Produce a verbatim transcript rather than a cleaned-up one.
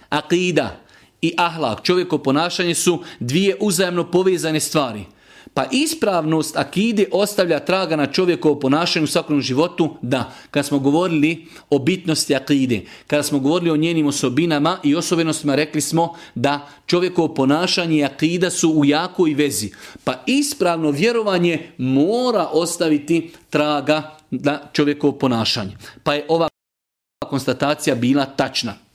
Akida i ahlak, čovjekovo ponašanje su dvije uzajamno povezane stvari. Pa ispravnost akide ostavlja traga na čovjekovo ponašanje u svakodnevnom životu, da. Kad smo govorili o bitnosti akide, kada smo govorili o njenim osobinama i osobenostima, rekli smo da čovjekovo ponašanje i akida su u jakoj vezi. Pa ispravno vjerovanje mora ostaviti traga na čovjekovo ponašanje. Pa je ova konstatacija bila tačna.